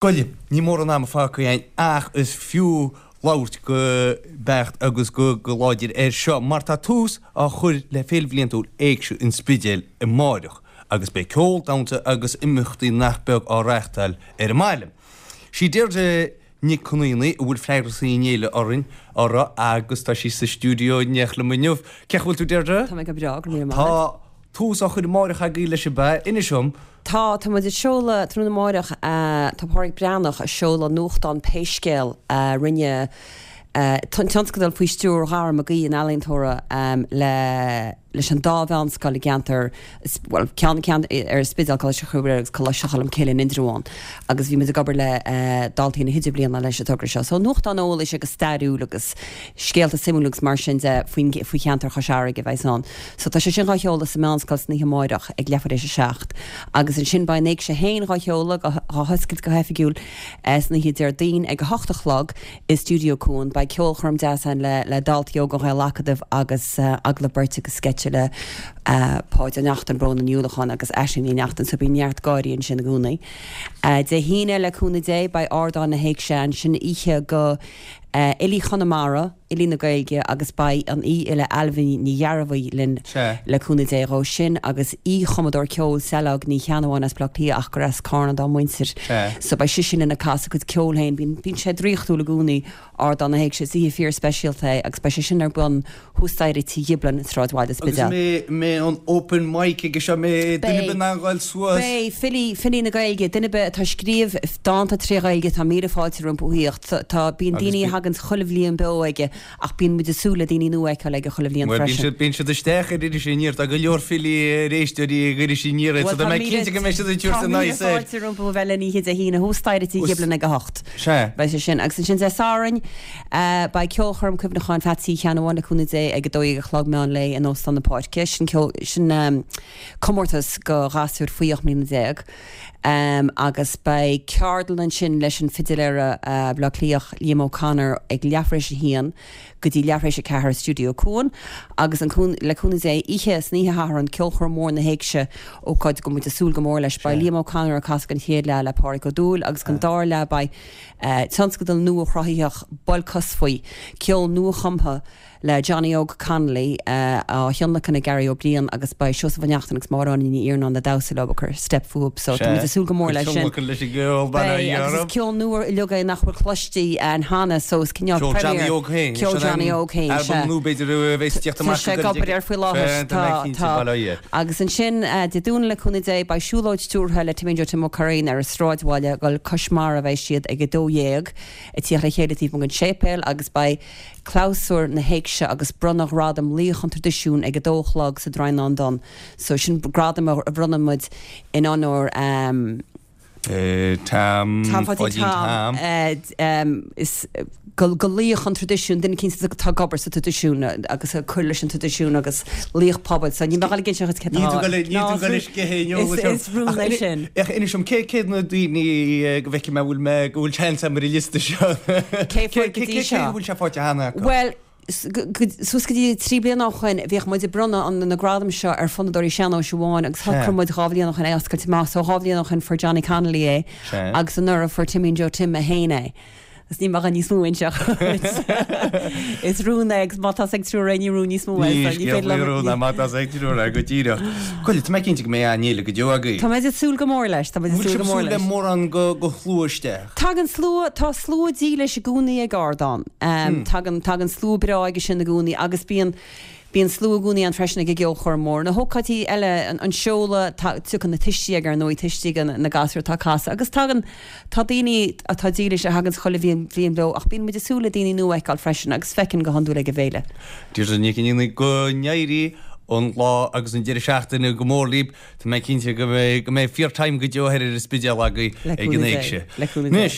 Gaillimh. Níl mórán ama fágtha againn ach is fiú labhairt go beacht agus go láidir air seo mar tá tús á chur le Féile Bhliantúil Éigse an Spidéil amáireach agus beidh ceol, damhsa agus imeachtaí nach beag á reáchtáil ar an mbaile. Sí Deirdre Nic Con Aonaigh a bhfuil freagrachtaí an fhéile orainn uirthi agus tá sí sa stiúideo in éineacht liom inniu. Cén chaoi a bhfuil tú Deirdre? Tá mé go breá, go raibh míle maith agat. Tá tús á chur amáireach agaibh leis ab ea? Inis dom. Tá, tá muid ag seoladh tráthnóna amáireach, tá Pádraig Breathnach ag seoladh nuachtán Pé Scéal a rinne tionscadal faoi stiúir Dhara Mac Aoidh, an ealaíontóra, le leis an dá mheánscoil i gceantar, bhuel, ceann ceann ar an Spidéal, Coláiste Chroí Mhuire agus Coláiste Cholm Cille in Indreabhán agus bhí muid ag obair le daltaí na hidirbhliana leis an togra seo. So nuachtán eolais agus stairiúil agus scéalta suimiúla agus mar sin de faoin faoi cheantar Chois Fharraige a bheas ann. So tá sé sin dhá sheoladh sa Meánscoil san oíche amáireach ag leathuair éis a 7 agus ansin beidh an Éigse féin dhá sheoladh, dhá hoscailt go hoifigiúil san oíche Déardaoin ag 8 a chlog i Stiúideo Cuan. Beidh ceolchoirm deas ann le le daltaí óga an Ghael-Acadaimh agus agallamh beirte agus sceitse le Páid Ó Neachtain, Bróna Ní Uallacháin agus Aisling Ní Neachtain so bíonn neart gáirí ansin i gcónaí. Dé hAoine le cúnamh Dé beidh Ardán na hÉigse ann, sin oíche go Fhilí Chonamara, Fhilí na Gaeilge agus beidh an aoi-fhile Ailbhe Ní Ghearbhuigh linn le cúnamh Dé dhó sin agus aoi-chumadóir ceoil Saileog Ní Cheannabháin as Baile Átha Cliath ach gur as Cárna dá muintir so beidh sise linn ag casadh a cuid ceoil féin. Bíonn bíonn sé draíochtúil i gcónaí, Ardán na hÉigse, is oíche fíor speisialta é agus beidh sé sin ar bun thuas staighre Tí Ghiblin i Sráidbhaile Agus Spidéil. an mbeidh an open mic aige seo, an mbeidh duine ar bith in ann ghoil suas. Beidh, filí, filí na Gaeilge, duine ar bith atá ag scríobh dánta tré Ghaeilge, tá míle fáilte rompu a thíocht. Tá, bíonn daoine a thaganns chuile bhliain beo aige ach bíonn muid ag súil le daoine nua a fheiceáil aige chuile bhliain Bhuel, bíonn freisin. siad, bíonn siad isteach ar Iris Aniar, tá go leor filí ar éisteoirí ag Iris Aniar, so tá mé cinnte go mbeidh siad ag tabhairt a n-aghaidh soir. Tá míle fáilte rompu a bheith linn oíche Dé hAoine thuas staighre Tí Ghiblin ag a hocht. Sea. Beidh sé sin. Agus ansin Dé Sathairn, beidh ceolchoirm cuimhneacháin Pheatsaí Uí Cheannabháin le cúnamh Dé ag 12 a chlog meán lae in Óstán na Páirce. Sin ceol, sin comórtas go ghasúir faoi 18 mbliana. Agus beidh ceardlann ansin leis an fidiléara Baile Átha Cliathach Liam O'Connor ag leathuair éis a haon go dtí leathuair éis a ceathair i Stiúideo Cuan. Agus an le cúnamh Dé, oíche, san oíche Shathairn, ceolchoirm mhór na hÉigse, ócáid go bhfuil muid ag súil go mór leis. Beidh Liam O'Connor ag casadh don chéad leath le Pádhraic Ó Dúill agus don dara leath beidh tionscadal nua chruthaitheach Bolcosfaoi, ceol nua-chumtha, le Johnny Óg Connolly á thionlacan ag Gary Ó Briain agus beidh Seosamh Ó Neachtain agus Máire Áine Ní Iarnáin ag damhsa leo ag cur steip fúthu so tá muid ag súil go mór leis sin. Tionlacan leis an gceol bail ó Dhia Beidh agus is ceol nua uilig é nach bhfuil cloiste ann cheana so is cineál Ceol Johnny Óg féin, Ceol Johnny Óg féin, albam sea. nua b'fhéidir a bheas ag tíocht amach Tá sé ag obair air faoi láthair. Tá, tá. Bail ó Dhia. Agus ansin Dé Domhnaigh le cúnamh Dé beidh siúlóid stiúrtha le Timmy Joe Tim Ó Curraoin ar an Sráidbhaile ag dul cois mara a bheidh siad ag 12 ag tíocht le chéile taobh amuigh den séipéal agus beidh Clabhsúr na hÉigse agus bronnadh Ghradam Laoch an Traidisiúin ag a dó a chlog sa Draighneán Donn. So sin gradam a bhronnann muid in onóir Tom, Tom Pháidín Tom. Is go laoch an traidisiúin, duine eicínt atá ag obair sa traidisiún agus ag cur leis an traidisiún agus laoch pobail. So níl mé ag dul ag inse dhuit cé atá. Níl tú ag dul Is is rún é sin. Ach inis dom, cé cé na daoine go bhfeicfidh mé bhfuil mé go bhfuil seans agam ar an liosta seo? Cé fuair go dtí seo? Cé bhfuil sé faighte cheana acu? Bhuel, suas go dtí 3 bliana ó shoin bhíodh muid ag bronnadh na gradaim seo ar fonnadóirí sean-nóis amháin agus shocraigh muid dhá bhliain ó shoin é a oscailt amach. So dhá bhliain ó shoin fuair Johnny Connolly é agus anuraidh fuair Timmy Joe Tim é féin é. Agus níl mé ag dul níos mó a inse dhuit. Is rún é agus má tá's ag triúr é ní rún níos mó é. Ní scéal faoi rún é má tá's ag triúr é go díreach. Bhuel, tá mé cinnte go mbeidh an-fhéile go deo agaibh. Tá muid ag súil go mór leis, tá muid ag súil go mór leis. Bhfuil sibh ag súil le mórán go shlua isteach? Tagann slua, tá slua dílis i gcónaí ag Ardán. Tagann, tagann slua breá aige sin i gcónaí agus bíonn, Bíonn slua i gcónaí ann freisin ag an gceolchoirm mhór. Na hócáidí eile, an seoladh, tiocfaidh na tuistí ag ar ndóigh, tuistí na gasúr atá ag casadh agus tagann, tá daoine atá dílis a thaganns chuile bhliain bhliain beo ach bíonn muid ag súil le daoine nua a fheiceáil freisin agus feiceann go hiondúil ag an bhféile. Deirdre Nic Fhionnaigh, go n-éirí an lá agus an deireadh seachtaine go mór libh. Tá mé cinnte go mbeidh, go mbeidh fíor time go deo thoir ar an Spidéal agaibh ag an Éigse. Le cúnamh Dé. Anois.